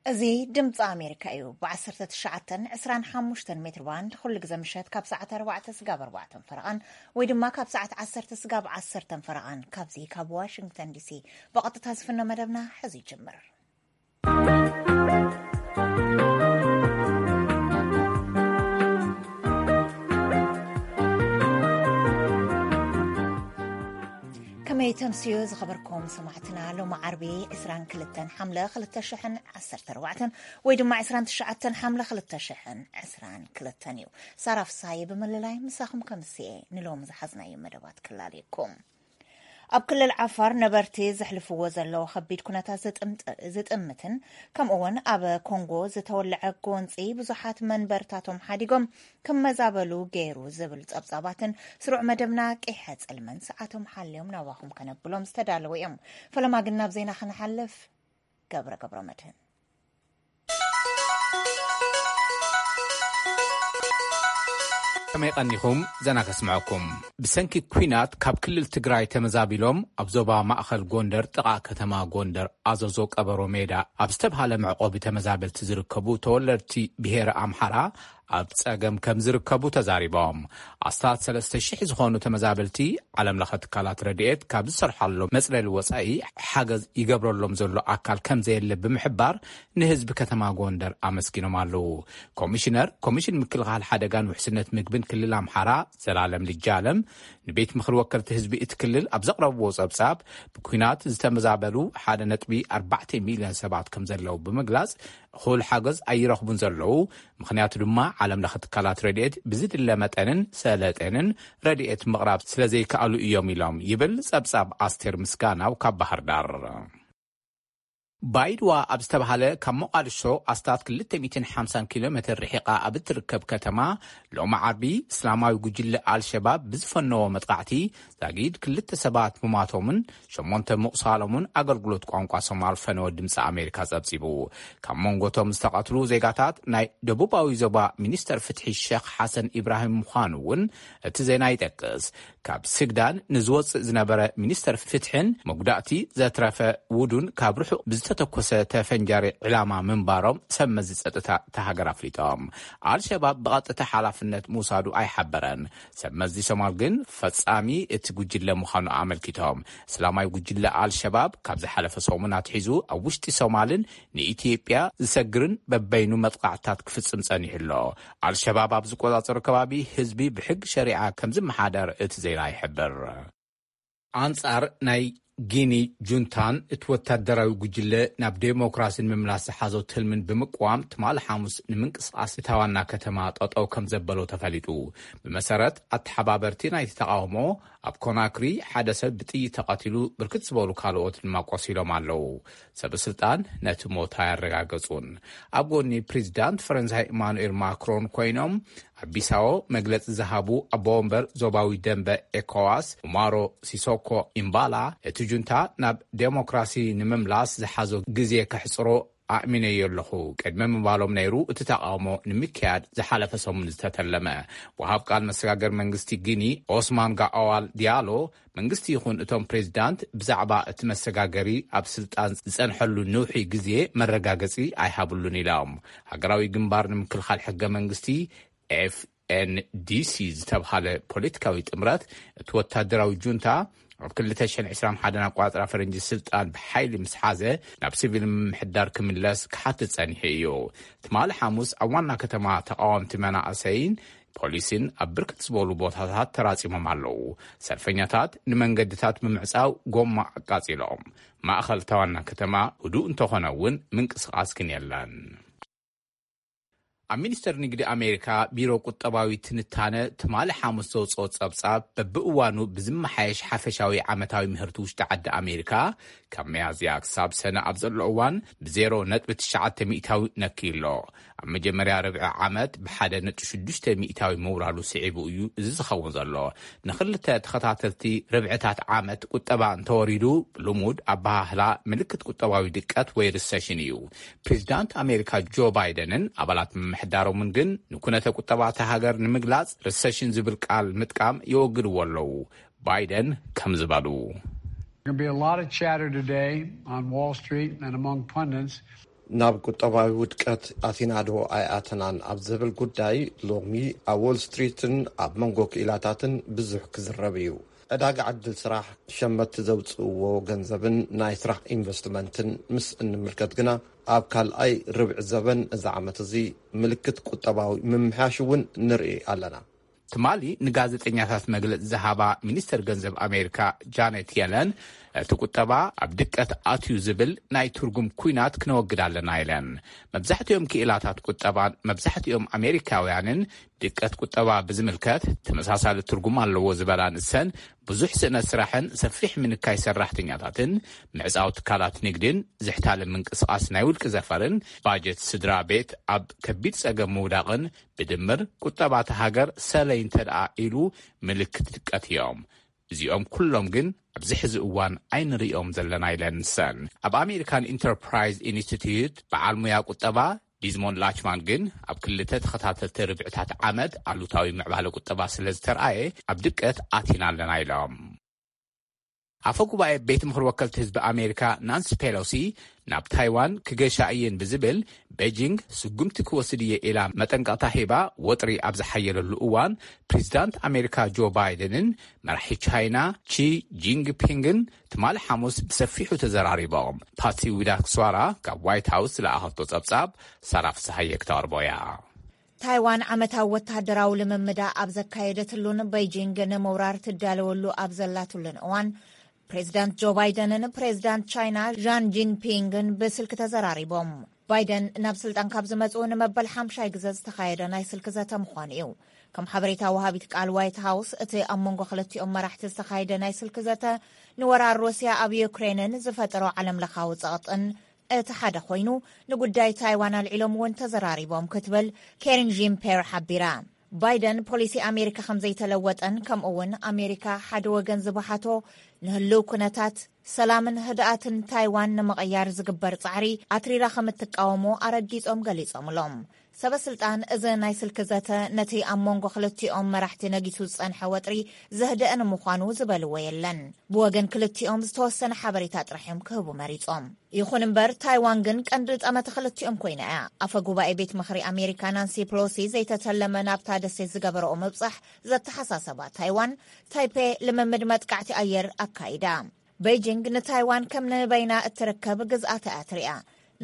እዚ ድምፂ ኣሜሪካ እዩ። ብ19፣ 25 ሜትር ባንድ ኩሉ ግዜ ምሸት ካብ ሰዓት ኣርባዕተ ስጋብ ኣርባዕተን ፈረቓን፣ ወይ ድማ ካብ ሰዓት ዓሰርተ ስጋብ ዓሰርተን ፈረቓን፣ ካብዚ ካብ ዋሽንግተን ዲሲ ብቐጥታ ዝፍኖ መደብና ሕዚ ይጅምር። ከመይ ተምስዮ ዝኸበርኩም ሰማዕትና፣ ሎሚ ዓርቢ ዕስራን ክልተን ሓምለ ክልተ ሽሕን ዓሰርተ ኣርባዕተን ወይ ድማ ዕስራን ትሽዓተን ሓምለ ክልተ ሽሕን ዕስራን ክልተን እዩ። ሳራ ፍሳሐየ ብምልላይ ምሳኹም ከምስየ ንሎሚ ዝሓዝናዮ መደባት ክላለየኩም። ኣብ ክልል ዓፋር ነበርቲ ዘሕልፍዎ ዘለዉ ከቢድ ኩነታት ዝጥምጥ-፣ ዝጥምትን ከምኡ እውን ኣብ ኮንጎ ዝተወለዐ ጎንፂ ብዙሓት መንበርታቶም ሓዲጎም ክመዛበሉ ገይሩ ዝብል ጸብጻባትን ስሩዕ መደብና ቂሐ ጽልመን ሰዓቶም ሓልዮም ናባኹም ከነብሎም ዝተዳለዉ እዮም። ፈለማ ግን ናብ ዜና ክንሓልፍ፣ ገብረ ገብረ መድህን። ከመይ ቀኒኹም? ዘና ከስምዐኩም። ብሰንኪ ኲናት ካብ ክልል ትግራይ ተመዛቢሎም ኣብ ዞባ ማእኸል ጎንደር ጥቓ ከተማ ጎንደር ኣዘዞ ቀበሮ ሜዳ ኣብ ዝተብሃለ መዕቆቢ ተመዛበልቲ ዝርከቡ ተወለድቲ ብሄረ ኣምሓራ ኣብ ጸገም ከም ዝርከቡ ተዛሪቦም። ኣስታት ሰለስተ ሽሕ ዝኾኑ ተመዛበልቲ ዓለም ለኸ ትካላት ረድኤት ካብ ዝሰርሓሎም መጽለሊ ወጻኢ ሓገዝ ይገብረሎም ዘሎ ኣካል ከም ዘየለ ብምሕባር ንህዝቢ ከተማ ጎንደር ኣመስጊኖም ኣለዉ። ኮሚሽነር ኮሚሽን ምክልኻል ሓደጋን ውሕስነት ምግብን ክልል ኣምሓራ ዘላለም ልጃለም ንቤት ምኽሪ ወከልቲ ህዝቢ እቲ ክልል ኣብ ዘቕረብዎ ጸብጻብ ብኲናት ዝተመዛበሉ ሓደ ነጥቢ ኣርባዕተ ሚልዮን ሰባት ከም ዘለዉ ብምግላጽ እኹል ሓገዝ ኣይረኽቡን ዘለዉ። ምኽንያቱ ድማ ዓለም ለኸ ትካላት ረድኤት ብዝድለ መጠንን ሰለጤንን ረድኤት ምቕራብ ስለ ዘይከኣሉ እዮም ኢሎም ይብል ጸብጻብ ኣስቴር ምስጋናው ካብ ባህር ዳር። ባይድዋ ኣብ ዝተባሃለ ካብ ሞቓድሾ ኣስታት ክልተ ሚእትን ሓምሳን ኪሎ ሜትር ርሒቓ ኣብ እትርከብ ከተማ ሎሚ ዓርቢ እስላማዊ ጉጅለ ኣልሸባብ ብዝፈነዎ መጥቃዕቲ ዛጊድ ክልተ ሰባት ምሟቶምን ሸሞንተ ምቑሳሎምን ኣገልግሎት ቋንቋ ሶማል ፈነወ ድምፂ ኣሜሪካ ጸብጺቡ። ካብ መንጎቶም ዝተቐትሉ ዜጋታት ናይ ደቡባዊ ዞባ ሚኒስተር ፍትሒ ሸኽ ሓሰን ኢብራሂም ምዃኑ እውን እቲ ዜና ይጠቅስ። ካብ ስግዳን ንዝወፅእ ዝነበረ ሚኒስተር ፍትሕን መጉዳእቲ ዘትረፈ ውዱን ካብ ርሑቕ ብዝተተኮሰ ተፈንጃሪ ዕላማ ምንባሮም ሰብ መዚ ጸጥታ እታ ሃገር ኣፍሊጦም። ኣልሸባብ ብቐጥታ ሓላፍነት ምውሳዱ ኣይሓበረን። ሰብ መዚ ሶማል ግን ፈጻሚ እቲ ጉጅለ ምዃኑ ኣመልኪቶም። እስላማዊ ጉጅለ ኣልሸባብ ካብ ዝሓለፈ ሰሙን ኣትሒዙ ኣብ ውሽጢ ሶማልን ንኢትዮጵያ ዝሰግርን በበይኑ መጥቃዕትታት ክፍጽም ጸኒሑ ኣሎ። ኣልሸባብ ኣብ ዝቆጻጸሮ ከባቢ ህዝቢ ብሕጊ ሸሪዓ ከም ዝመሓደር እቲ ዜና ይሕብር። ኣንጻር ናይ ጊኒ ጁንታን እቲ ወታደራዊ ጉጅለ ናብ ዴሞክራሲ ንምምላስ ዝሓዞ ትልምን ብምቅዋም ትማሊ ሓሙስ ንምንቅስቓስ እታ ዋና ከተማ ጠጠው ከም ዘበሎ ተፈሊጡ። ብመሰረት ኣተሓባበርቲ ናይቲ ተቓውሞ ኣብ ኮናክሪ ሓደ ሰብ ብጥይት ተቐቲሉ ብርክት ዝበሉ ካልኦት ድማ ቆሲሎም ኣለዉ። ሰበ ስልጣን ነቲ ሞት ኣያረጋገጹን። ኣብ ጎኒ ፕሬዚዳንት ፈረንሳይ ኢማኑኤል ማክሮን ኮይኖም ኣብ ቢሳዎ መግለጺ ዝሃቡ ኣቦ ወንበር ዞባዊ ደንበ ኤኮዋስ ኡማሮ ሲሶኮ ኢምባላ፣ እቲ ጁንታ ናብ ዴሞክራሲ ንምምላስ ዝሓዞ ግዜ ከሕጽሮ ኣእሚነዮ ኣለኹ ቅድሚ ምባሎም ነይሩ እቲ ተቓውሞ ንምክያድ ዝሓለፈ ሰሙን ዝተተለመ። ወሃብ ቃል መሰጋገር መንግስቲ ጊኒ ኦስማን ጋኦዋል ዲያሎ መንግስቲ ይኹን እቶም ፕሬዚዳንት ብዛዕባ እቲ መሰጋገሪ ኣብ ስልጣን ዝጸንሐሉ ንውሒ ግዜ መረጋገጺ ኣይሃብሉን ኢሎም። ሃገራዊ ግንባር ንምክልኻል ሕገ መንግስቲ ኤፍኤንዲሲ ዝተብሃለ ፖለቲካዊ ጥምረት እቲ ወታደራዊ ጁንታ ኣብ ክልተ ሽሕን ዕስራን ሓደን ኣቋጽራ ፈረንጂ ስልጣን ብሓይሊ ምስ ሓዘ ናብ ሲቪል ምምሕዳር ክምለስ ክሓትት ጸኒሑ እዩ። ትማሊ ሓሙስ ኣብ ዋና ከተማ ተቓወምቲ መናእሰይን ፖሊስን ኣብ ብርክት ዝበሉ ቦታታት ተራጺሞም ኣለዉ። ሰልፈኛታት ንመንገድታት ብምዕጻው ጎማ ኣቃጺሎም። ማእኸል እታ ዋና ከተማ ህዱእ እንተኾነ እውን ምንቅስቓስ ግን የለን። ኣብ ሚኒስተር ንግዲ ኣሜሪካ ቢሮ ቁጠባዊ ትንታነ ትማሊ ሓሙስ ዘውፅኦ ጸብጻብ በብእዋኑ ብዝመሓየሽ ሓፈሻዊ ዓመታዊ ምህርቲ ውሽጢ ዓዲ ኣሜሪካ ካብ መያዝያ ክሳብ ሰነ ኣብ ዘሎ እዋን ብዜሮ ነጥቢ ትሽዓተ ሚእታዊ ነክዩ ኣሎ። ኣብ መጀመርያ ርብዒ ዓመት ብሓደ ነጥቢ ሽዱሽተ ሚእታዊ ምውራዱ ስዒቡ እዩ እዚ ዝኸውን ዘሎ። ንኽልተ ተኸታተልቲ ርብዕታት ዓመት ቁጠባ እንተወሪዱ ብልሙድ ኣበሃህላ ምልክት ቁጠባዊ ድቀት ወይ ሪሰሽን እዩ። ፕሬዚዳንት ኣሜሪካ ጆ ባይደንን ኣባላት ምምሕዳሮምን ግን ንኩነተ ቁጠባ እታ ሃገር ንምግላጽ ሪሰሽን ዝብል ቃል ምጥቃም የወግድዎ ኣለዉ። ባይደን ከም ዝበሉ There's going to be a lot of chatter today on Wall Street and among pundits ናብ ቁጠባዊ ውድቀት ኣቲናዶ ኣይኣተናን ኣብ ዝብል ጉዳይ፣ ሎሚ ኣብ ዎል ስትሪትን ኣብ መንጎ ክኢላታትን ብዙሕ ክዝረብ እዩ። ዕዳጋ ዕድል ስራሕ፣ ሸመትቲ ዘውፅእዎ ገንዘብን ናይ ስራሕ ኢንቨስትመንትን ምስ እንምልከት ግና፣ ኣብ ካልኣይ ርብዒ ዘበን እዚ ዓመት እዚ ምልክት ቁጠባዊ ምምሕያሽ እውን ንርኢ ኣለና። ትማሊ ንጋዜጠኛታት መግለጺ ዝሃባ ሚኒስተር ገንዘብ ኣሜሪካ ጃኔት የለን፣ እቲ ቁጠባ ኣብ ድቀት ኣትዩ ዝብል ናይ ትርጉም ኲናት ክነወግድ ኣለና ኢለን። መብዛሕትኦም ክኢላታት ቁጠባን መብዛሕትኦም ኣሜሪካውያንን ድቀት ቁጠባ ብዝምልከት ተመሳሳሊ ትርጉም ኣለዎ ዝበላ ንሰን፣ ብዙሕ ስእነት ስራሕን ሰፊሕ ምንካይ ሰራሕተኛታትን ምዕጻው ትካላት ንግድን ዝሕታለ ምንቅስቓስ ናይ ውልቂ ዘፈርን ባጀት ስድራ ቤት ኣብ ከቢድ ጸገም ምውዳቕን ብድምር ቁጠባ እታ ሃገር ሰለይ እንተ ደኣ ኢሉ ምልክት ድቀት እዮም። እዚኦም ኩሎም ግን ኣብዚ ሕዚ እዋን ኣይንርእዮም ዘለና ኢለን ንሰን። ኣብ ኣሜሪካን ኢንተርፕራይዝ ኢንስቲትዩት በዓል ሙያ ቁጠባ ዲዝሞንድ ላችማን ግን ኣብ ክልተ ተኸታተልቲ ርብዕታት ዓመት ኣሉታዊ ምዕባለ ቁጠባ ስለ ዝተርኣየ ኣብ ድቀት ኣቲና ኣለና ኢሎም። ኣፈ ጉባኤ ቤት ምኽሪ ወከልቲ ህዝቢ ኣሜሪካ ናንሲ ፔሎሲ ናብ ታይዋን ክገሻ እየን ብዝብል ቤጂንግ ስጉምቲ ክወስድ እየ ኢላ መጠንቀቕታ ሂባ ወጥሪ ኣብ ዝሓየለሉ እዋን ፕሬዚዳንት ኣሜሪካ ጆ ባይደንን መራሒ ቻይና ቺ ጂንግፒንግን ትማሊ ሓሙስ ብሰፊሑ ተዘራሪቦም። ፓትሲ ዊዳክስዋራ ካብ ዋይት ሃውስ ዝለኣኸቶ ጸብጻብ ሳራ ፍስሃየ ክተቕርቦ እያ። ታይዋን ዓመታዊ ወተሃደራዊ ልምምዳ ኣብ ዘካየደትሉን ቤይጂንግ ንምውራር ትዳለወሉ ኣብ ዘላትሉን እዋን፣ ፕሬዚዳንት ጆ ባይደንን ፕሬዚዳንት ቻይና ዣን ጂንፒንግን ብስልኪ ተዘራሪቦም። ባይደን ናብ ስልጣን ካብ ዝመጹ ንመበል ሓምሻይ ግዘ ዝተኻየደ ናይ ስልኪ ዘተ ምዃኑ እዩ። ከም ሓበሬታ ወሃቢት ቃል ዋይት ሃውስ፣ እቲ ኣብ መንጎ ክልቲኦም መራሕቲ ዝተኻየደ ናይ ስልኪ ዘተ ንወራር ሩስያ ኣብ ዩክሬንን ዝፈጠሮ ዓለምለኻዊ ጸቕጥን እቲ ሓደ ኮይኑ፣ ንጉዳይ ታይዋን ኣልዒሎም እውን ተዘራሪቦም ክትብል ኬሪን ጂምፔር ሓቢራ። ባይደን ፖሊሲ ኣሜሪካ ከም ዘይተለወጠን፣ ከምኡ እውን ኣሜሪካ ሓደ ወገን ዝበሓቶ ንህልው ኩነታት ሰላምን ህድኣትን ታይዋን ንምቕያር ዝግበር ጻዕሪ ኣትሪራ ከም እትቃወሞ ኣረጊጾም ገሊጾምሎም። ሰበ ስልጣን እዚ ናይ ስልኪ ዘተ ነቲ ኣብ መንጎ ክልቲኦም መራሕቲ ነጊሱ ዝጸንሐ ወጥሪ ዘህደአ ንምዃኑ ዝበልዎ የለን። ብወገን ክልቲኦም ዝተወሰነ ሓበሬታ ጥራሕ እዮም ክህቡ መሪጾም። ይኹን እምበር፣ ታይዋን ግን ቀንዲ ጠመተ ክልቲኦም ኮይና እያ። ኣፈ ጉባኤ ቤት ምኽሪ ኣሜሪካ ናንሲ ፕሎሲ ዘይተተለመ ናብታ ደሴት ዝገበረኦ ምብጻሕ ዘተሓሳሰባ ታይዋን፣ ታይፔ ልምምድ መጥቃዕቲ ኣየር ኣካይዳ። ቤይጂንግ ንታይዋን ከም ንበይና እትርከብ ግዝኣት እያ ትሪኣ።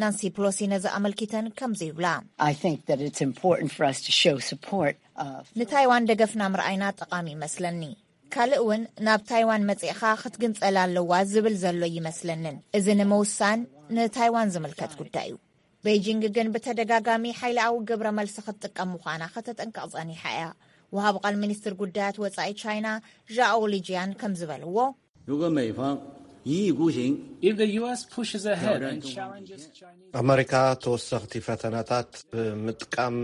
ናንሲ ፕሎሲ ነዚ ኣመልኪተን ከምዚ ይብላ። I think that it's important for us to show support of ንታይዋን ደገፍና ምርኣይና ጠቓሚ ይመስለኒ። ካልእ እውን ናብ ታይዋን መጺእኻ ክትግንጸል ኣለዋ ዝብል ዘሎ ይመስለንን። እዚ ንምውሳን ንታይዋን ዝምልከት ጉዳይ እዩ። ቤይጂንግ ግን ብተደጋጋሚ ሓይላዊ ግብረ መልሲ ክትጥቀም ምዃና ከተጠንቀቕ ጸኒሓ እያ። ወሃቢ ቃል ሚኒስትር ጉዳያት ወጻኢ ቻይና ዣኦ ሊጂያን ከም ዝበልዎ፣ 如果美方一意孤行， If the U S pushes ahead and challenges Chinese ኣመሪካ ተወሰኽቲ ፈተነታት ብምጥቃም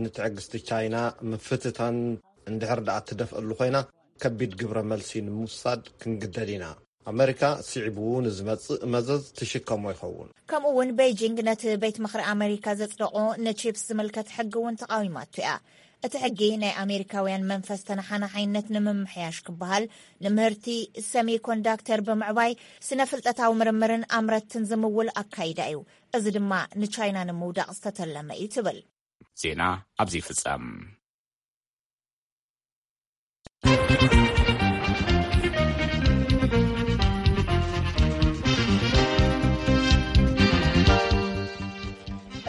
ንትዕግስቲ ቻይና ምፍትታን እንድሕር ደኣ ትደፍአሉ ኮይና፣ ከቢድ ግብረ መልሲ ንምውሳድ ክንግደድ ኢና። ኣመሪካ ስዒቡ ንዝመጽእ መዘዝ ትሽከሞ ይኸውን። ከምኡ እውን ቤይጂንግ ነቲ ቤት ምኽሪ ኣመሪካ ዘጽደቖ ንቺፕስ ዝምልከት ሕጊ እውን ተቓዊማቱ እያ። እቲ ሕጊ ናይ ኣሜሪካውያን መንፈስ ተነሓናሓይነት ንምምሕያሽ ክበሃል ንምህርቲ ሰሚኮንዳክተር ብምዕባይ ስነ ፍልጠታዊ ምርምርን ኣምረትን ዝምውል ኣካይዳ እዩ። እዚ ድማ ንቻይና ንምውዳቕ ዝተተለመ እዩ ትብል። ዜና ኣብዚ ይፍጸም።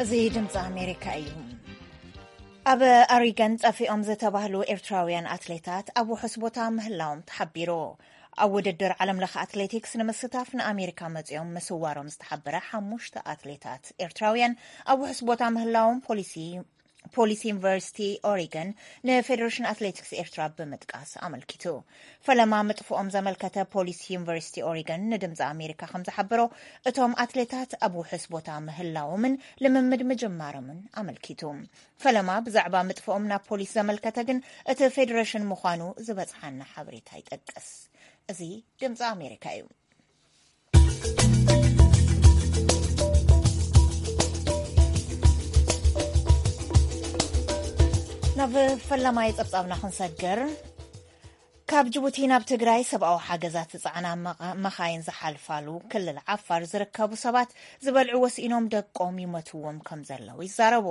እዚ ድምፂ ኣሜሪካ እዩ። ኣብ ኣሪገን ጠፊኦም ዝተባህሉ ኤርትራውያን ኣትሌታት ኣብ ውሑስ ቦታ ምህላዎም ተሓቢሩ። ኣብ ውድድር ዓለም ለኸ ኣትሌቲክስ ንምስታፍ ንኣሜሪካ መፂኦም ምስዋሮም ዝተሓበረ ሓሙሽተ ኣትሌታት ኤርትራውያን ኣብ ውሑስ ቦታ ምህላዎም ፖሊሲ ፖሊስ ዩኒቨርሲቲ ኦሪገን ንፌዴሬሽን ኣትሌቲክስ ኤርትራ ብምጥቃስ ኣመልኪቱ። ፈለማ ምጥፍኦም ዘመልከተ ፖሊስ ዩኒቨርሲቲ ኦሪገን ንድምፂ ኣሜሪካ ከም ዝሓበሮ፣ እቶም ኣትሌታት ኣብ ውሑስ ቦታ ምህላዎምን ልምምድ ምጅማሮምን ኣመልኪቱ። ፈለማ ብዛዕባ ምጥፍኦም ናብ ፖሊስ ዘመልከተ ግን እቲ ፌዴሬሽን ምዃኑ ዝበፅሓና ሓበሬታ ይጠቅስ። እዚ ድምፂ ኣሜሪካ እዩ። ናብ ፈላማይ ጸብጻብና ክንሰግር፣ ካብ ጅቡቲ ናብ ትግራይ ሰብኣዊ ሓገዛት ዝጸዓና መኻ- መኻይን ዝሓልፋሉ ክልል ዓፋር ዝርከቡ ሰባት ዝበልዕዎ ስኢኖም ደቆም ይመትዎም ከም ዘለዉ ይዛረቡ።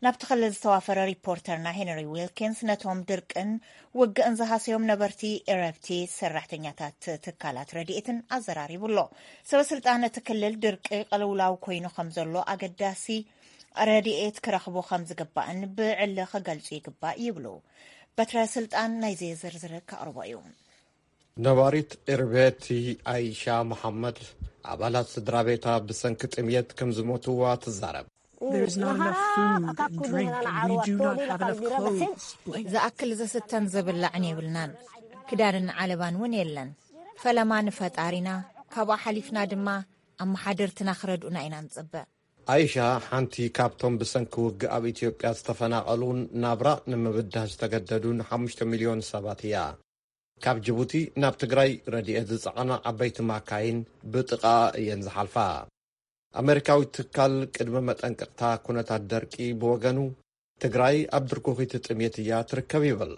ናብቲ ክልል ዝተዋፈረ ሪፖርተርና ሄንሪ ዊልኪንስ ነቶም ድርቅን ውግእን ዝሃሰዮም ነበርቲ ኤረብቲ፣ ሰራሕተኛታት ትካላት ረድኤትን ኣዘራሪቡ ኣሎ። ሰበ ስልጣን እቲ ክልል ድርቂ ቅልውላው ኮይኑ ከም ዘሎ ኣገዳሲ ረድኤት ክረኽቡ ከም ዝግባእን ብዕሊ ክገልጹ ይግባእ ይብሉ። በትረ ስልጣን ናይዚ ዝርዝር ከቕርቦ እዩ። ነባሪት ኤርቤቲ ኣይሻ መሓመድ ኣባላት ስድራ ቤታ ብሰንኪ ጥምየት ከም ዝሞትዋ ትዛረብ። There's not enough food and drink, and we do not have enough clothes, blankets. ዝኣክል ዝስተን ዝብላዕን የብልናን። ክዳንን ዓለባን እውን የለን። ፈለማ ንፈጣሪና፣ ካብኣ ሓሊፍና ድማ ኣመሓደርትና ክረድኡና ኢና ንጽበ። ኣይሻ ሓንቲ ካብቶም ብሰንኪ ውግእ ኣብ ኢትዮጵያ ዝተፈናቐሉን ናብራ ንምብዳህ ዝተገደዱን ሓሙሽተ ሚልዮን ሰባት እያ። ካብ ጅቡቲ ናብ ትግራይ ረድኤት ዝጸዓና ዓበይቲ ማካይን ብጥቓ እየን ዝሓልፋ። ኣመሪካዊ ትካል ቅድመ መጠንቀቕታ ኩነታት ደርቂ ብወገኑ ትግራይ ኣብ ድርኩኺት ጥሜት እያ ትርከብ ይብል።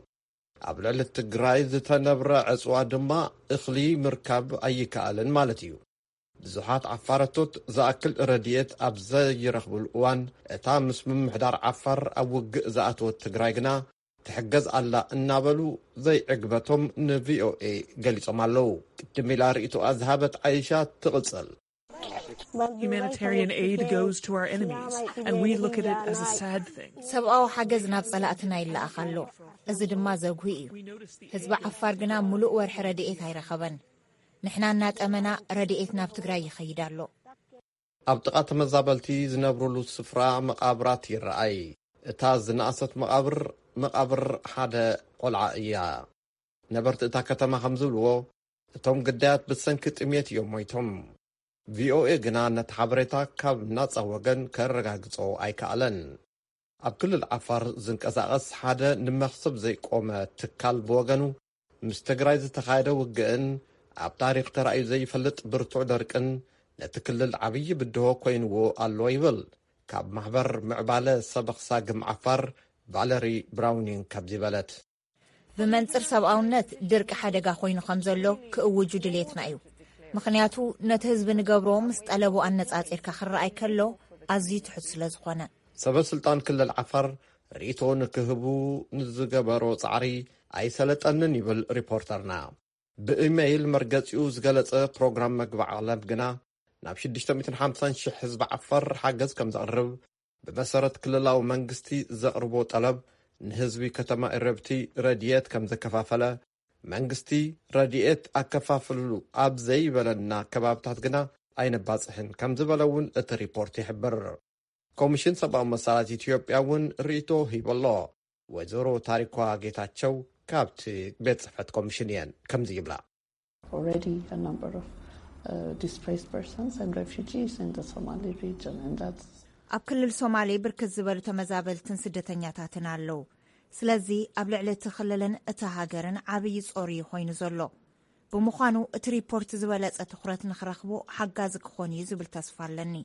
ኣብ ልዕሊ ትግራይ ዝተነብረ ዕፅዋ ድማ እኽሊ ምርካብ ኣይከኣልን ማለት እዩ። ብዙሓት ዓፋረቶት ዝኣክል ረድኤት ኣብ ዘይረኽብሉ እዋን እታ ምስ ምምሕዳር ዓፋር ኣብ ውግእ ዝኣተወት ትግራይ ግና ትሕገዝ ኣላ እናበሉ ዘይዕግበቶም ንቪኦኤ ገሊጾም ኣለዉ። ቅድም ኢላ ርእይቶኣ ዝሃበት ዓይሻ ትቕጽል። Humanitarian aid goes to our enemies, and we look at it as a sad thing. ሰብኣዊ ሓገዝ ናብ ጸላእትና ይለኣኽ ኣሎ። እዚ ድማ ዘጉሂ እዩ። ህዝቢ ዓፋር ግና ምሉእ ወርሒ ረድኤት ኣይረኸበን። ንሕና እናጠመና ረድኤት ናብ ትግራይ ይኸይድ ኣሎ። ኣብ ጥቓ ተመዛበልቲ ዝነብሩሉ ስፍራ መቓብራት ይረኣይ። እታ ዝነኣሰት መቓብር፣ መቓብር ሓደ ቆልዓ እያ። ነበርቲ እታ ከተማ ከም ዝብልዎ፣ እቶም ግዳያት ብሰንኪ ጥሜት እዮም ሞይቶም። ቪኦኤ ግና ነቲ ሓበሬታ ካብ ናጻ ወገን ከረጋግጾ ኣይከኣለን። ኣብ ክልል ዓፋር ዝንቀሳቐስ ሓደ ንመኽሰብ ዘይቆመ ትካል ብወገኑ፣ ምስ ትግራይ ዝተኻየደ ውግእን ኣብ ታሪኽ ተራእዩ ዘይፈልጥ ብርቱዕ ደርቅን ነቲ ክልል ዓብዪ ብድሆ ኮይንዎ ኣሎ ይብል። ካብ ማሕበር ምዕባለ ሰበኽ ሳግም ዓፋር ቫለሪ ብራውኒንግ ከምዚ በለት። ብመንጽር ሰብኣውነት ድርቂ ሓደጋ ኮይኑ ከም ዘሎ ክእውጁ ድሌትና እዩ። ምኽንያቱ ነቲ ህዝቢ ንገብሮ ምስ ጠለቡ ኣነጻጺርካ ክረኣይ ከሎ ኣዝዩ ትሑት ስለ ዝኾነ። ሰበ ስልጣን ክልል ዓፋር ርእይቶ ንክህቡ ንዝገበሮ ጻዕሪ ኣይሰለጠንን ይብል ሪፖርተርና። ብኢመይል መርገጺኡ ዝገለጸ ፕሮግራም መግቢ ዓለም ግና ናብ ሽዱሽተ ሚእትን ሓምሳን ሽሕ ህዝቢ ዓፋር ሓገዝ ከም ዘቕርብ ብመሰረት ክልላዊ መንግስቲ ዘቕርቦ ጠለብ ንህዝቢ ከተማ ኢረብቲ ረድኤት ከም ዘከፋፈለ፣ መንግስቲ ረድኤት ኣከፋፍሉ ኣብ ዘይበለና ከባብታት ግና ኣይነባጽሕን ከም ዝበለ እውን እቲ ሪፖርት ይሕብር። ኮሚሽን ሰብኣዊ መሰላት ኢትዮጵያ እውን ርእይቶ ሂቡ ኣሎ። ወይዘሮ ታሪኳ ጌታቸው ካብቲ ቤት ጽሕፈት ኮሚሽን እየን ከምዚ ይብላ። Already a number of uh, displaced persons and refugees in the Somali region, and that's ኣብ ክልል ሶማሌ ብርክት ዝበሉ ተመዛበልትን ስደተኛታትን ኣለዉ። ስለዚ ኣብ ልዕሊ እቲ ክልልን እታ ሃገርን ዓብዪ ጾር እዩ ኮይኑ ዘሎ። ብምዃኑ እቲ ሪፖርት ዝበለጸ ትኹረት ንኽረኽቦ ሓጋዚ ክኾን እዩ ዝብል ተስፋ ኣለኒ።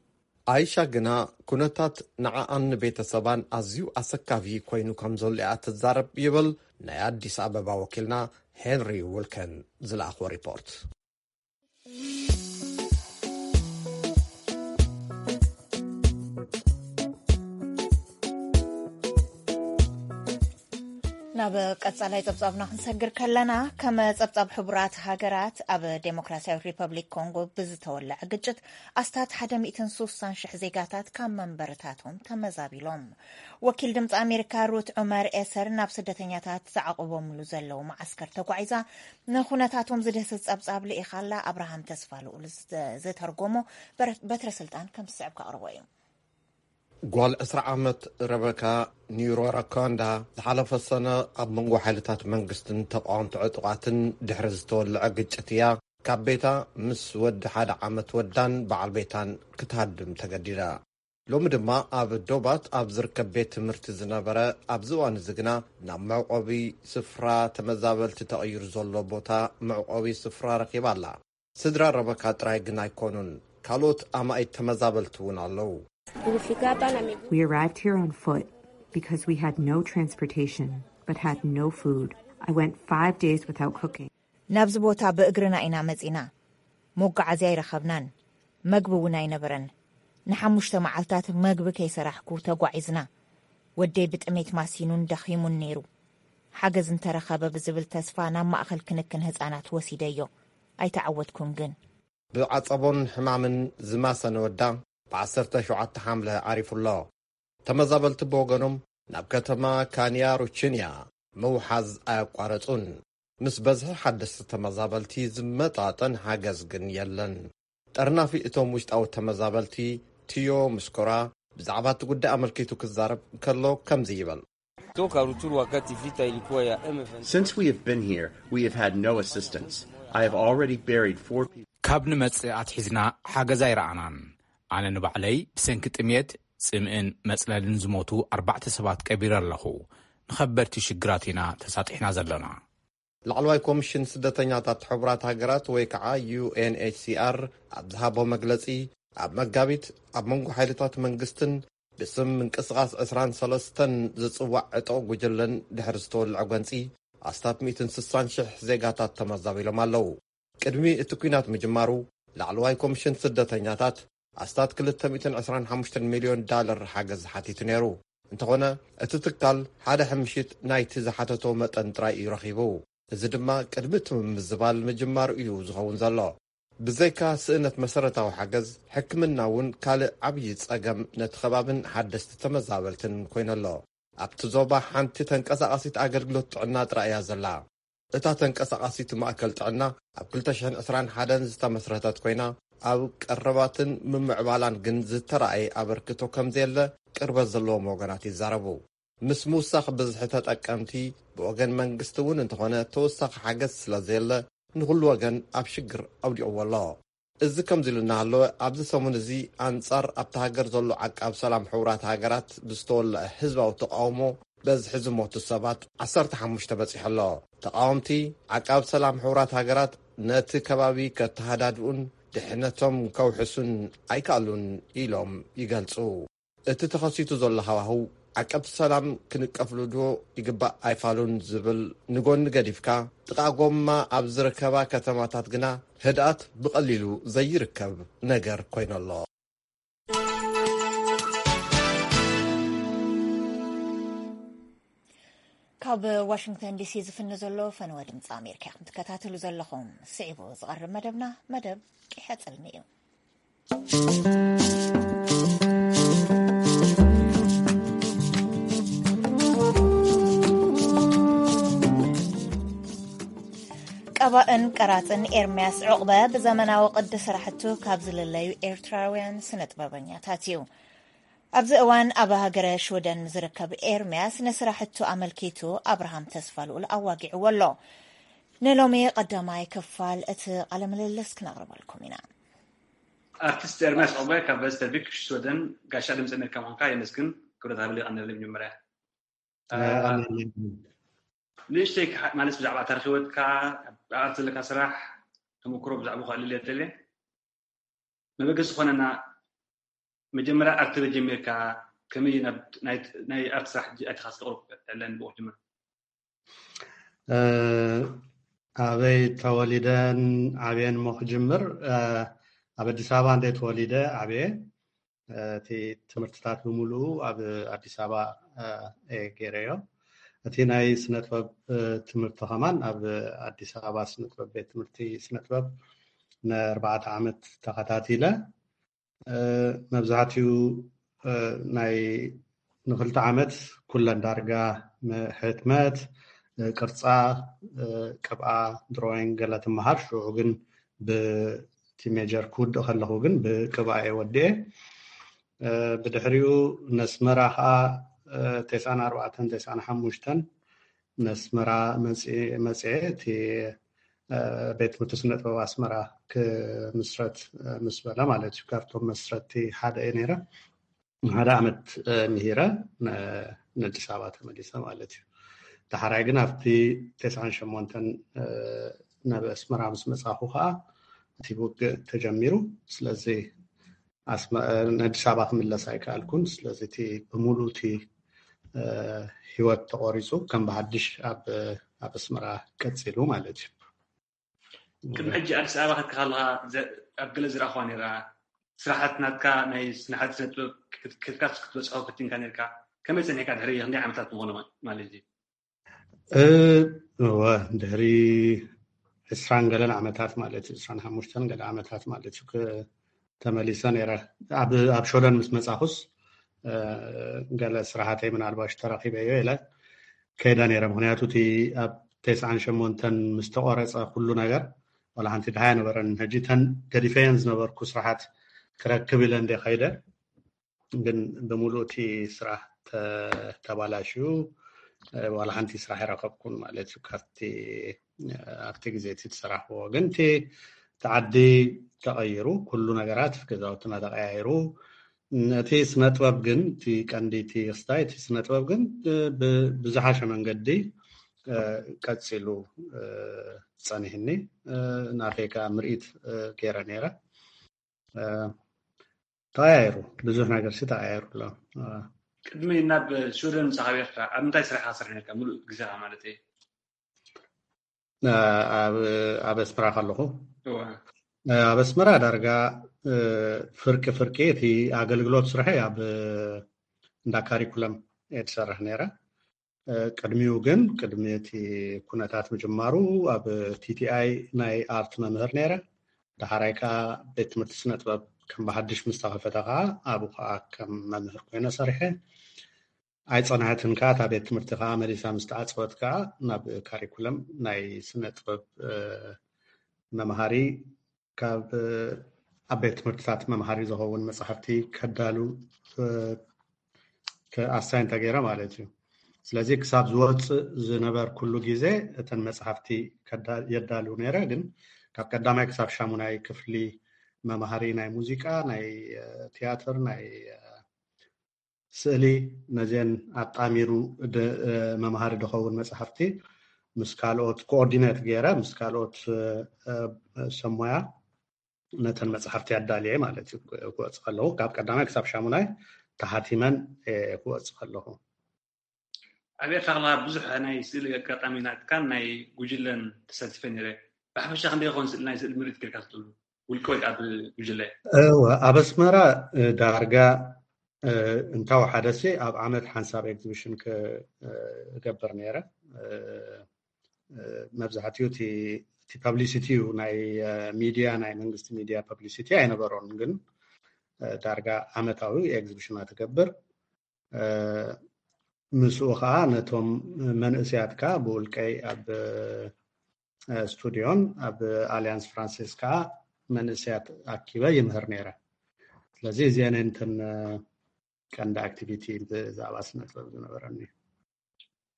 ኣይሻ ግና ኩነታት ንዓኣን ንቤተሰባን ኣዝዩ ኣሰካፊ ኮይኑ ከም ዘሎ እያ ትዛረብ ይብል ናይ ኣዲስ ኣበባ ወኪልና ሄንሪ ውልከን ዝለኣኽዎ ሪፖርት። ናብ ቀጻላይ ጸብጻብና ክንሰግር ከለና፣ ከም ጸብጻብ ሕቡራት ሃገራት፣ ኣብ ዴሞክራሲያዊት ሪፐብሊክ ኮንጎ ብዝተወለዐ ግጭት ኣስታት ሓደ ሚእትን ሱሳን ሽሕ ዜጋታት ካብ መንበርታቶም ተመዛቢሎም። ወኪል ድምፂ ኣሜሪካ ሩት ዑመር ኤሰር ናብ ስደተኛታት ዝዓቑቦምሉ ዘለዉ መዓስከር ተጓዒዛ ንኩነታቶም ዝድህስስ ጸብጻብ ልኢኻላ። ኣብርሃም ተስፋ ልኡል ዝተርጎሞ በትረ ስልጣን ከም ዝስዕብ ከቕርቦ እዩ። ጓል ዕስራ ዓመት ረበካ ኒሮራካንዳ ዝሓለፈ ሰነ ኣብ መንጎ ሓይልታት መንግስትን ተቃወምቲ ዕጡቓትን ድሕሪ ዝተወለዐ ግጭት እያ ካብ ቤታ ምስ ወዲ ሓደ ዓመት ወዳን በዓል ቤታን ክትሃድም ተገዲዳ። ሎሚ ድማ ኣብ ዶባት ኣብ ዝርከብ ቤት ትምህርቲ ዝነበረ፣ ኣብዚ እዋን እዚ ግና ናብ መዕቆቢ ስፍራ ተመዛበልቲ ተቐይሩ ዘሎ ቦታ መዕቆቢ ስፍራ ረኺባ ኣላ። ስድራ ረበካ ጥራይ ግን ኣይኮኑን፣ ካልኦት ኣማኢት ተመዛበልቲ እውን ኣለዉ። We arrived here on foot because we had no transportation but had no food I went five days without cooking. ናብዚ ቦታ ብእግርና ኢና መጺና። መጓዓዝያ ኣይረኸብናን። መግቢ እውን ኣይነበረን። ንሓሙሽተ መዓልታት መግቢ ከይሰራሕኩ ተጓዒዝና። ወደይ ብጥሜት ማሲኑን ደኺሙን ነይሩ። ሓገዝ እንተረኸበ ብዝብል ተስፋ ናብ ማእኸል ክንክን ህፃናት ወሲደዮ። ኣይተዓወትኩን ግን። ብዓጸቦን ሕማምን ዝማሰነ ወዳ ብ17 ሓምለ ዓሪፉ ኣሎ። ተመዛበልቲ ብወገኖም ናብ ከተማ ካንያ ሩችንያ ምውሓዝ ኣያቋረጹን። ምስ በዝሒ ሓደስቲ ተመዛበልቲ ዝመጣጠን ሓገዝ ግን የለን። ጠርናፊ እቶም ውሽጣዊ ተመዛበልቲ ቲዮ ምስኮራ ብዛዕባ እቲ ጉዳይ ኣመልኪቱ ክዛረብ ከሎ ከምዚ ይብል። Toka Ruchuru wakati vita ilikuwa ya M23. Since we have been here, we have had no assistance. I have already buried four people. ካብ ንመጽእ ኣትሒዝና ሓገዝ ኣይረኣናን። ኣነ ንባዕለይ ብሰንኪ ጥሜት፣ ጽምእን መጽለልን ዝሞቱ ኣርባዕተ ሰባት ቀቢረ ኣለኹ። ንኸበድቲ ሽግራት ኢና ተሳጢሕና ዘለና። ላዕለዋይ ኮሚሽን ስደተኛታት ሕቡራት ሃገራት ወይ ከዓ ዩ ኤን ኤች ሲ ኣር ኣብ ዝሃቦ መግለጺ፣ ኣብ መጋቢት ኣብ መንጎ ሓይልታት መንግስትን ብስም ምንቅስቓስ ዕስራን ሰለስተን ዝጽዋዕ ዕጡቕ ጉጅለን ድሕሪ ዝተወልዐ ጎንጺ ኣስታት ሚእትን ስሳን ሽሕ ዜጋታት ተመዛቢሎም ኣለዉ። ቅድሚ እቲ ኲናት ምጅማሩ ላዕለዋይ ኮሚሽን ስደተኛታት ኣስታት ክልተ ሚእትን ዕስራን ሓሙሽተን ሚልዮን ዳለር ሓገዝ ሓቲቱ ነይሩ። እንተኾነ እቲ ትካል ሓደ ሕምሽት ናይቲ ዝሓተቶ መጠን ጥራይ እዩ ረኺቡ። እዚ ድማ ቅድሚ እቲ ምምዝባል ምጅማሩ እዩ ዝኸውን ዘሎ። ብዘይካ ስእነት መሰረታዊ ሓገዝ፣ ሕክምና እውን ካልእ ዓብዪ ጸገም ነቲ ከባብን ሓደስቲ ተመዛበልትን ኮይኑ ኣሎ። ኣብቲ ዞባ ሓንቲ ተንቀሳቓሲት ኣገልግሎት ጥዕና ጥራይ እያ ዘላ። እታ ተንቀሳቓሲት ማእከል ጥዕና ኣብ ክልተ ሽሕን ዕስራን ሓደን ዝተመስረተት ኮይና፣ ኣብ ቀረባትን ምምዕባላን ግን ዝተራእየ ኣበርክቶ ከም ዘየለ ቅርበት ዘለዎም ወገናት ይዛረቡ። ምስ ምውሳኽ ብዝሒ ተጠቀምቲ ብወገን መንግስቲ እውን እንተኾነ ተወሳኺ ሓገዝ ስለ ዘየለ ንኹሉ ወገን ኣብ ሽግር ኣውዲቕዎ ኣሎ። እዚ ከምዚ ኢሉ እናሃለወ ኣብዚ ሰሙን እዚ ኣንጻር ኣብታ ሃገር ዘሎ ዓቃብ ሰላም ሕቡራት ሃገራት ብዝተወለዐ ህዝባዊ ተቃውሞ በዝሒ ዝሞቱ ሰባት ዓሰርተ ሓሙሽተ በጺሑ ኣሎ። ተቃወምቲ ዓቃብ ሰላም ሕቡራት ሃገራት ነቲ ከባቢ ከተሃዳድኡን ድሕነቶም ከውሕሱን ኣይከኣሉን ኢሎም ይገልጹ። እቲ ተኸሲቱ ዘሎ ሃዋህው ዓቀብቲ ሰላም ክንቀፍሉ ዶ ይግባእ ኣይፋሉን ዝብል ንጎኒ ገዲፍካ፣ ጥቓ ጎማ ኣብ ዝርከባ ከተማታት ግና ህድኣት ብቐሊሉ ዘይርከብ ነገር ኮይኑ ኣሎ። ካብ ዋሽንግተን ዲሲ ዝፍነ ዘሎ ፈነወ ድምፂ ኣሜሪካ ኢኹም ትከታተሉ ዘለኹም። ስዒቡ ዝቐርብ መደብና መደብ ቂሐ ጽልሚ እዩ። ቀባእን ቀራጽን ኤርምያስ ዑቕበ ብዘመናዊ ቅዲ ስራሕቱ ካብ ዝልለዩ ኤርትራውያን ስነ ጥበበኛታት እዩ። ኣብዚ እዋን ኣብ ሃገረ ሽወደን ዝርከብ ኤርምያስ ንስራሕቱ ኣመልኪቱ ኣብርሃም ተስፋልኡል ኣዋጊዕዎ ኣሎ። ንሎሚ ቀዳማይ ክፋል እቲ ቃለ ምልልስ ክነቕርበልኩም ኢና። ኣርቲስት ኤርምያስ ዑቕባይ ካብ ቨስተቪክ ሽወደን ጋሻ ድምፂ ኣሜሪካ ምዃንካ የመስግን። ክብረት ሃበለይ ቀንደለይ መጀመርያ ንእሽተይ ማለት ብዛዕባ ታሪክ ህይወትካ፣ ኣብ ኣርት ዘለካ ስራሕ ተመክሮ ብዛዕባ ክእልል እየ ደልየ። መበገሲ ዝኾነና መጀመርያ ኣርት ተጀሚርካ ከመይ ናብ ናይ ኣርት ስራሕ ኣቲኻ ዝተቕርብ ዕለን ብኡ ክጅምር። ኣበይ ተወሊደን ዓብየን ሞ ክጅምር፣ ኣብ ኣዲስ ኣበባ እንደ ተወሊደ ዓብየ። እቲ ትምህርትታት ብምሉኡ ኣብ ኣዲስ ኣበባ እየ ገይረዮ። እቲ ናይ ስነ ጥበብ ትምህርቲ ከማን ኣብ ኣዲስ ኣበባ ስነ ጥበብ ቤት ትምህርቲ ስነ ጥበብ ንኣርባዕተ ዓመት ተኸታቲለ። መብዛሕትኡ ናይ ንክልተ ዓመት ኩለን ዳርጋ ሕትመት፣ ቅርፃ፣ ቅብኣ፣ ድሮይንግ ገለ ትመሃር። ሽዑ ግን ብቲ ሜጀር ክውድእ ከለኹ ግን ብቅብኣ እየ ወዲኤ። ብድሕሪኡ ነስመራ ከዓ ተስዓን ኣርባዕተን ተስዓን ሓሙሽተን ነስመራ መፅኤ እቲ ቤት ትምህርቲ ስነ ጥበብ ኣስመራ ክምስረት ምስ በለ ማለት እዩ። ካብቶም መስረትቲ ሓደ እየ ነይረ። ሓደ ዓመት ምሂረ ንኣዲስ ኣበባ ተመሊሰ ማለት እዩ። ዳሕራይ ግን ኣብቲ ተስዓን ሸሞንተን ናብ ኣስመራ ምስ መፃኹ ከዓ እቲ ውግእ ተጀሚሩ። ስለዚ ንኣዲስ ኣበባ ክምለስ ኣይከኣልኩን። ስለዚ እቲ ብምሉእ እቲ ህይወት ተቆሪፁ ከም ብሓድሽ ኣብ ኣብ ኣስመራ ቀፂሉ ማለት እዩ። ቅድሚ ሕጂ ኣዲስ ኣበባ ከትካ ከለካ ኣብ ገለ ዝረኣኹዋ ነራ ስራሓት ናትካ ናይ ስናሓት ስነጥበብ ከትካስ ክትበፅሖ ፈቲንካ ነርካ? ከመይ ፀኒሕካ ድሕሪ ክንደይ ዓመታት ምኾነ ማለት እዩ? እወ ድሕሪ ዕስራን ገለን ዓመታት ማለት እዩ፣ ዕስራን ሓሙሽተን ገለ ዓመታት ማለት እዩ ተመሊሰ ነረ። ኣብ ሸወደን ምስ መፃኹስ ገለ ስራሓተይ ምናልባሽ ተረኪበዮ ኢለ ከይደ ነረ። ምክንያቱ እቲ ኣብ ተስዓን ሸሞንተን ምስ ተቆረፀ ኩሉ ነገር ዋላ ሓንቲ ድሃ ነበረን። ሕጂ ተን ገዲፈየን ዝነበርኩ ስራሓት ክረክብ ኢለ እንደ ከይደ ግን ብምሉእ እቲ ስራሕ ተባላሽዩ ዋላ ሓንቲ ስራሕ ይረከብኩን ማለት እዩ። ካብቲ ኣብቲ ግዜ እቲ ዝሰራሕዎ ግን እቲ ዓዲ ተቐይሩ፣ ኩሉ ነገራት ገዛውትና ተቐያይሩ። እቲ ስነጥበብ ግን እቲ ቀንዲ እቲ ክስታይ እቲ ስነጥበብ ግን ብዝሓሸ መንገዲ ቀፂሉ ፀኒህኒ። ናተይ ከዓ ምርኢት ገይረ ነይረ። ተቐያይሩ፣ ብዙሕ ነገር ሲ ተቐያይሩ ኣሎ። ቅድሚ ናብ ሽወደን ምሳኻ ኤርትራ ኣብ ምንታይ ስራሕ ክሰርሕ ነርካ? ሙሉእ ግዜኻ ማለት እዩ። ኣብ ኣስመራ ከለኹ ኣብ ኣስመራ ዳርጋ ፍርቂ ፍርቂ እቲ ኣገልግሎት ስርሐ ኣብ እንዳ ካሪኩለም እየ ትሰርሕ ነይረ። ቅድሚኡ ግን ቅድሚ እቲ ኩነታት ምጅማሩ ኣብ ቲቲኣይ ናይ ኣርት መምህር ነይረ። ዳሕራይ ከዓ ቤት ትምህርቲ ስነ ጥበብ ከም ብሓድሽ ምስ ተኸፈተ ከዓ ኣብኡ ከዓ ከም መምህር ኮይነ ሰሪሐ። ኣይፀንሐትን ከዓ እታ ቤት ትምህርቲ ከዓ መሊሳ ምስ ተዓፀወት ከዓ ናብ ካሪኩለም ናይ ስነ ጥበብ መምሃሪ ካብ ኣብ ቤት ትምህርትታት መምሃሪ ዝኸውን መፅሓፍቲ ከዳሉ ኣሳይን ተገይረ ማለት እዩ። ስለዚ ክሳብ ዝወፅእ ዝነበርኩሉ ግዜ እተን መፅሓፍቲ የዳሉ ነይረ። ግን ካብ ቀዳማይ ክሳብ ሻሙናይ ክፍሊ መምሃሪ ናይ ሙዚቃ፣ ናይ ቲያትር፣ ናይ ስእሊ ነዚአን ኣጣሚሩ መምሃሪ ዝኸውን መፅሓፍቲ ምስ ካልኦት ኮኦርዲኔት ገይረ ምስ ካልኦት ሰሞያ ነተን መፅሓፍቲ ኣዳልየ ማለት እዩ። ክወፅ ከለኹ ካብ ቀዳማይ ክሳብ ሻሙናይ ተሓቲመን ክወፅ ከለኹ ኣብ ኤርትራ ከለካ ብዙሕ ናይ ስእሊ ኣጋጣሚ ናትካን ናይ ጉጅለን ተሳቲፈ ነይረ። ብሓፈሻ ክንደይ ይኸውን ስእሊ ናይ ስእሊ ምርኢት ጌርካ ትኽእሉ ውልቀ ወይ ኣብ ጉጅለ? ኣብ ኣስመራ ዳርጋ እንታወሓደሲ ኣብ ዓመት ሓንሳብ ኤግዚቢሽን ክገብር ነይረ። መብዛሕትኡ እቲ ፐብሊሲቲ እዩ፣ ናይ ሚድያ ናይ መንግስቲ ሚድያ ፐብሊሲቲ ኣይነበሮን። ግን ዳርጋ ዓመታዊ ኤግዚቢሽናት እገብር። ምስኡ ከዓ ነቶም መንእስያት ከዓ ብውልቀይ ኣብ ስቱድዮን ኣብ ኣሊያንስ ፍራንሲስ ከዓ መንእስያት ኣኪበ ይምህር ነይረ። ስለዚ እዚአን እንትን ቀንዲ ኣክቲቪቲ ብዛዕባ ስነ ጥበብ ዝነበረኒ።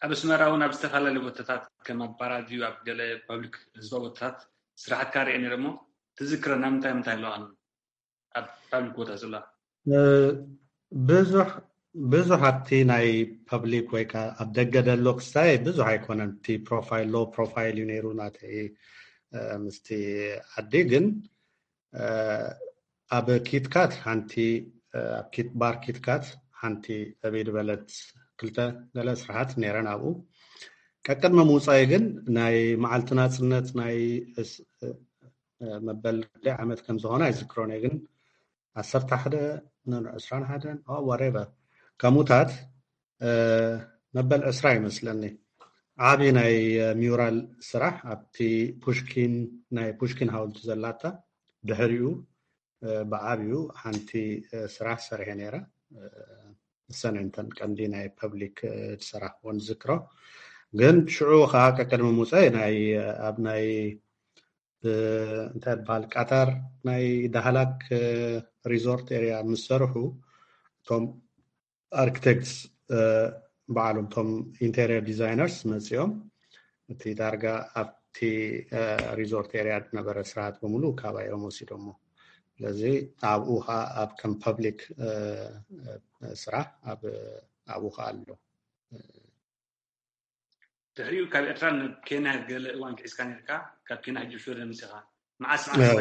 ኣብ ኣስመራ እውን ኣብ ዝተፈላለዩ ቦታታት ከም ኣብ ፓራድዩ ኣብ ገለ ፓብሊክ ህዝባዊ ቦታታት ስራሕትካ ርአ ነይረ እሞ ትዝክረና ምንታይ ምንታይ ኣለዋ ኣብ ፓብሊክ ቦታ ዝላ? ብዙሕ ብዙሕ ኣብቲ ናይ ፐብሊክ ወይ ከዓ ኣብ ደገ ደሎ ክስታይ ብዙሕ ኣይኮነን። እቲ ፕሮፋይል ሎ ፕሮፋይል እዩ ነይሩ ናተይ ምስቲ ዓዲ። ግን ኣብ ኪትካት ሓንቲ ኣብ ኪት ባር ኪትካት ሓንቲ ዕብይ ዝበለት ክልተ ገለ ስራሓት ነይረን ኣብኡ። ቀቅድሚ ምውፃኢ ግን ናይ መዓልቲ ናፅነት ናይ መበል ዓመት ከም ዝኾነ ኣይዝክሮን እየ። ግን ዓሰርተ ሓደ ዕስራን ሓደን ዋሬቨር ከምኡታት መበል ዕስራ ይመስለኒ ዓቢ ናይ ሚውራል ስራሕ ኣብቲ ፑሽኪን ናይ ፑሽኪን ሃውልቲ ዘላታ ድሕሪኡ ብዓብዩ ሓንቲ ስራሕ ሰሪሐ ነይረ። እሰን እንተን ቀንዲ ናይ ፐብሊክ ዝሰራሕዎን ዝክሮ ግን ሽዑ ከዓ ቀቅድሚ ሙፀ ናይ ኣብ ናይ እንታይ በሃል ቃታር ናይ ዳህላክ ሪዞርት ኤሪያ ምስ ሰርሑ እቶም ኣርክቴክትስ በዓሎም እቶም ኢንቴሪየር ዲዛይነርስ መፂኦም እቲ ዳርጋ ኣብቲ ሪዞርት ኤሪያ ዝነበረ ስርዓት በሙሉ ካባዮም ወሲዶሞ። ስለዚ ኣብኡ ከዓ ኣብ ከም ፐብሊክ ስራሕ ኣብኡ ከዓ ኣሎ። ድሕሪኡ ካብ ኤርትራ ናብ ኬንያ ገለ እዋን ክሒዝካ ነርካ። ካብ ኬንያ ሕጂ ሽወደን ምፅኻ መዓስ መዓስ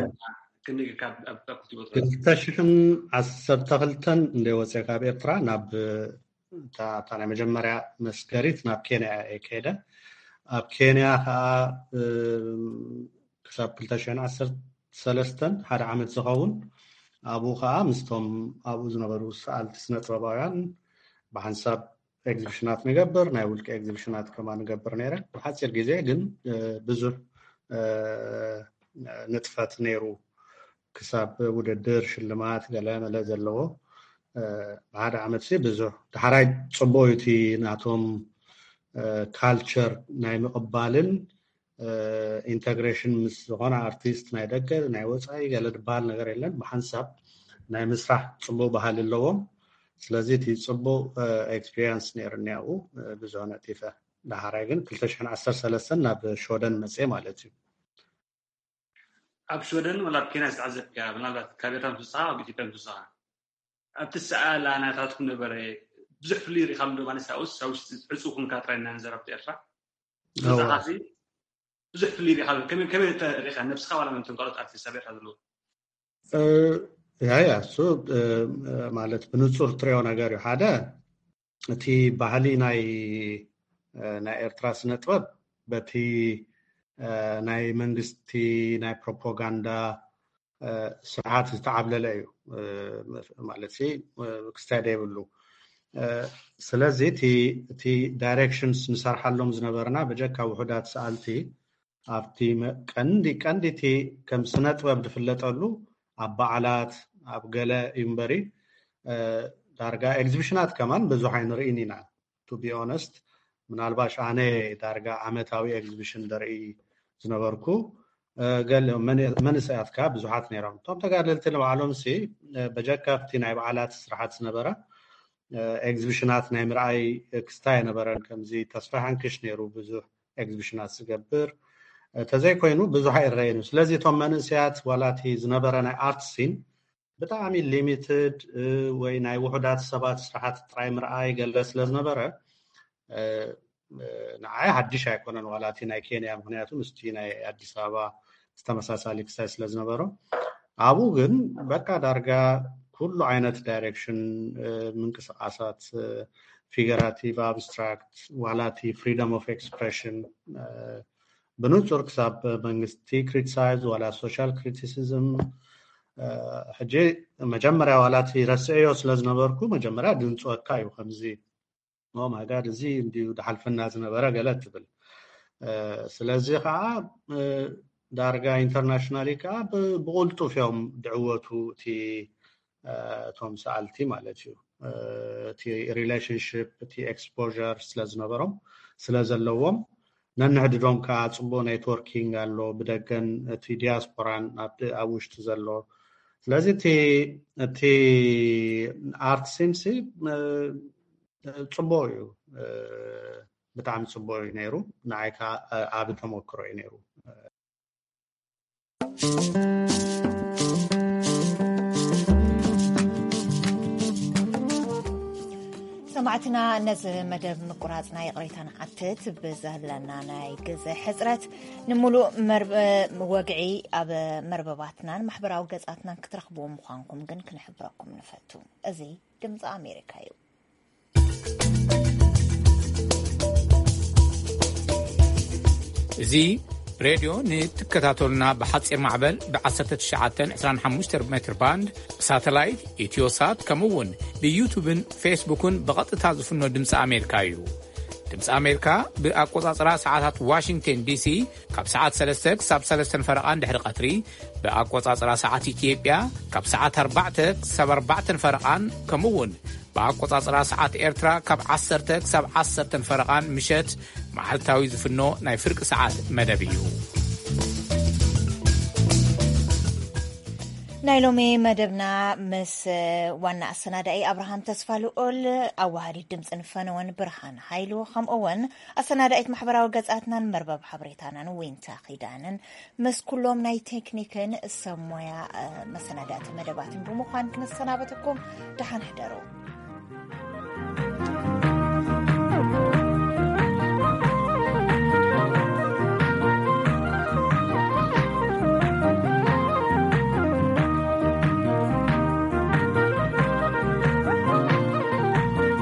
ክንደይ ካብ ኣብ ክልቲኡ ቦታ? ክልተ ሽሕን ዓሰርተ ክልተን እንደ ወፅአ ካብ ኤርትራ ናብ እታ ናይ መጀመርያ መስገሪት ናብ ኬንያ እየ ከይደ። ኣብ ኬንያ ከዓ ክሳብ ክልተ ሽሕን ዓሰርተ ሰለስተን ሓደ ዓመት ዝኸውን ኣብኡ ከዓ ምስቶም ኣብኡ ዝነበሩ ሰኣልቲ ስነ ጥበባውያን ብሓንሳብ ኤግዚቢሽናት ንገብር፣ ናይ ውልቂ ኤግዚቢሽናት ከማ ንገብር ነይረ። ብሓፂር ግዜ ግን ብዙሕ ንጥፈት ነይሩ። ክሳብ ውድድር ሽልማት ገለ መለ ዘለዎ ብሓደ ዓመት ብዙሕ። ዳሕራይ ፅቡቅ እዩ እቲ ናቶም ካልቸር ናይ ምቕባልን ኢንተግሬሽን ምስ ዝኾነ ኣርቲስት ናይ ደገ ናይ ወፃኢ ገለ ዝበሃል ነገር የለን። ብሓንሳብ ናይ ምስራሕ ፅቡቅ ባህሊ ኣለዎም። ስለዚ እቲ ፅቡቅ ኤክስፒሪንስ ነይርኒ ኣብኡ ብዙሕ ነጢፈ። ዳሕራይ ግን ክልተ ሽሕን ዓሰርተ ሰለስተን ናብ ሸወደን መፅየ ማለት እዩ። ኣብ ሸወደን ወላ ኣብ ኬንያ ዝተዓዘብካ ምናልባት ካብ ኤርትራ ምስ ወጻኻ ኣብ ኢትዮጵያ ምስ ወጻኻ ኣብቲ ሰኣላ ናታትኩም ነበረ ብዙሕ ፍልይ ርኢኻሉ ዶ ማለት ኣብኡስ ኣብ ውሽጢ ዕፁ ኩንካ ጥራይ እናንዘር ኣብቲ ኤርትራ ምስ ወጻኻሲ ብዙሕ ፍልይ ርኢኻሉ ከመይ ከመይ ተ- ርኢኻ ነብስኻ ዋላ ነቶም ካልኦት ኣርቲስት ኣብ ኤርትራ ዘለዉ ያ ያ እሱ ማለት ብንጹር ትሪኦ ነገር እዩ። ሓደ እቲ ባህሊ ናይ ናይ ኤርትራ ስነ ጥበብ በቲ ናይ መንግስቲ ናይ ፕሮፓጋንዳ ስርዓት ዝተዓብለለ እዩ ማለት ክስታይ የብሉ። ስለዚ እቲ ዳይሬክሽንስ ንሰርሓሎም ዝነበርና ብጀካ ውሑዳት ሰኣልቲ ኣብቲ ቀንዲ ቀንዲ እቲ ከም ስነ ጥበብ ዝፍለጠሉ ኣብ በዓላት ኣብ ገለ እዩ እምበሪ ዳርጋ ኤግዚቢሽናት ከማን ብዙሕ ኣይንርኢን ኢና። ቱ ቢ ኦነስት ምናልባሽ ኣነ ዳርጋ ዓመታዊ ኤግዚቢሽን ደርኢ ዝነበርኩ ገለ መንእሰያት ከኣ ብዙሓት ነይሮም። እቶም ተጋደልቲ ንባዕሎም ሲ በጀካ ኣብቲ ናይ በዓላት ስራሓት ዝነበረ ኤግዚቢሽናት ናይ ምርኣይ ክስታ ኣይነበረን። ከምዚ ተስፋ ሓንክሽ ነይሩ ብዙሕ ኤግዚቢሽናት ዝገብር ተዘይኮይኑ ብዙሕ ኣይረየን እዩ። ስለዚ እቶም መንእሰያት ዋላ እቲ ዝነበረ ናይ ኣርት ሲን ብጣዕሚ ሊሚትድ ወይ ናይ ውሑዳት ሰባት ስራሓት ጥራይ ምርኣይ ገለ ስለ ዝነበረ ንዓይ ሓድሽ ኣይኮነን ዋላ እቲ ናይ ኬንያ ምክንያቱ ምስቲ ናይ ኣዲስ ኣበባ ዝተመሳሳሊ ክሳይ ስለ ዝነበሮ ኣብኡ ግን በቃ ዳርጋ ኩሉ ዓይነት ዳይሬክሽን ምንቅስቃሳት ፊገራቲቭ ኣብስትራክት ዋላ እቲ ፍሪደም ኦፍ ኤክስፕሬሽን ብንጹር ክሳብ መንግስቲ ክሪቲሳይዝ ዋላ ሶሻል ክሪቲሲዝም ሕጂ መጀመርያ ዋላ እቲ ረስዕዮ ስለ ዝነበርኩ መጀመርያ ድንፅወካ እዩ ከምዚ ማጋድ እዚ እንዲዩ ድሓልፈና ዝነበረ ገለ ትብል ስለዚ ከዓ ዳርጋ ኢንተርናሽናሊ ከዓ ብቁልጡፍ እዮም ድዕወቱ እቲ እቶም ሰኣልቲ ማለት እዩ እቲ ሪሌሽንሽፕ እቲ ኤክስፖር ስለ ዝነበሮም ስለ ዘለዎም ነንሕድዶም ከዓ ፅቡቅ ኔትወርኪንግ ኣሎ ብደገን እቲ ዲያስፖራን ኣብ ውሽጢ ዘሎ ስለዚ እቲ ኣርት ሲንሲ ፅቡቅ እዩ ብጣዕሚ ፅቡቅ እዩ ነይሩ ንዓይ ከዓ ዓቢ ተመክሮ እዩ ነይሩ ሰማዕትና ነዚ መደብ ምቁራፅና ይቕሬታ ንሓትት ብዘህለና ናይ ግዘ ሕፅረት ንምሉእ ወግዒ ኣብ መርበባትናን ማሕበራዊ ገፃትናን ክትረኽብዎ ምዃንኩም ግን ክንሕብረኩም ንፈቱ እዚ ድምፂ ኣሜሪካ እዩ እዚ ሬድዮ ንትከታተሉና ብሓፂር ማዕበል ብ1925 ሜትር ባንድ ብሳተላይት ኢትዮሳት ከምኡ እውን ብዩቱብን ፌስቡክን ብቐጥታ ዝፍኖ ድምፂ ኣሜሪካ እዩ ድምፂ ኣሜሪካ ብኣቆፃፅራ ሰዓታት ዋሽንግተን ዲሲ ካብ ሰዓት 3 ክሳብ 3 ፈረቓ ድሕሪ ቀትሪ ብኣቆፃፅራ ሰዓት ኢትዮጵያ ካብ ሰዓት 4 ክሳብ 4 ፈረቓን ከምኡ እውን ብኣቆጻጽራ ሰዓት ኤርትራ ካብ ዓሰርተ ክሳብ ዓሰርተ ፈረቓን ምሸት መዓልታዊ ዝፍኖ ናይ ፍርቂ ሰዓት መደብ እዩ። ናይ ሎሚ መደብና ምስ ዋና ኣሰናዳኢ ኣብርሃም ተስፋ ልኦል ኣዋሃዲት ድምፅን ፈነወን ብርሃን ሃይሉ ከምኡ እውን ኣሰናዳኢት ማሕበራዊ ገፃትናን መርበብ ሓበሬታናን ዊንታ ኪዳንን ምስ ኩሎም ናይ ቴክኒክን ሰብ ሞያ መሰናዳእቲ መደባትን ብምዃን ክንሰናበተኩም ደሓን ሕደሩ።